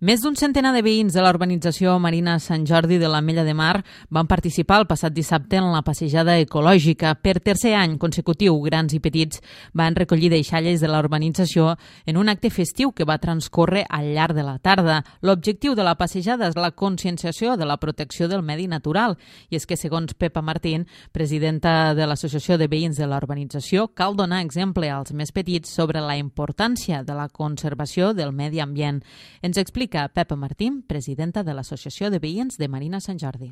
Més d'un centenar de veïns de la urbanització Marina Sant Jordi de l'Ametlla de Mar van participar el passat dissabte en la passejada ecològica. Per tercer any consecutiu, grans i petits van recollir deixalles de la urbanització en un acte festiu que va transcórrer al llarg de la tarda. L'objectiu de la passejada és la conscienciació de la protecció del medi natural. I és que, segons Pepa Martín, presidenta de l'Associació de Veïns de la Urbanització, cal donar exemple als més petits sobre la importància de la conservació del medi ambient. Ens explica Pepa Martín, presidenta de l'Associació de Veïns de Marina Sant Jordi.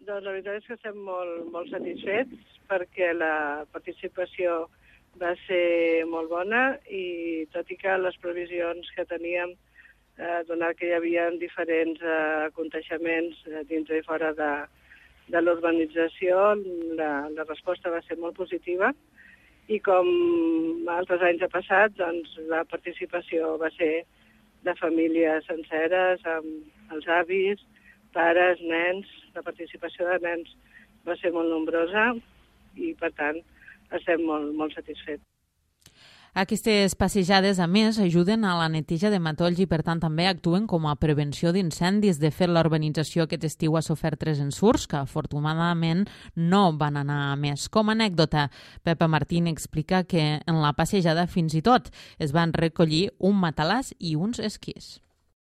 Doncs la veritat és que estem molt satisfets perquè la participació va ser molt bona i tot i que les previsions que teníem, donat que hi havia diferents aconteixements dintre i fora de l'urbanització, la resposta va ser molt positiva i com altres anys ha passat, doncs la participació va ser de famílies senceres, amb els avis, pares, nens. La participació de nens va ser molt nombrosa i, per tant, estem molt satisfets. Aquestes passejades, a més, ajuden a la neteja de matolls i, per tant, també actuen com a prevenció d'incendis. De fet, la urbanització aquest estiu ha sofert 3 ensurts que, afortunadament, no van anar a més. Com a anècdota, Pepa Martín explica que en la passejada fins i tot es van recollir un matalàs i uns esquís.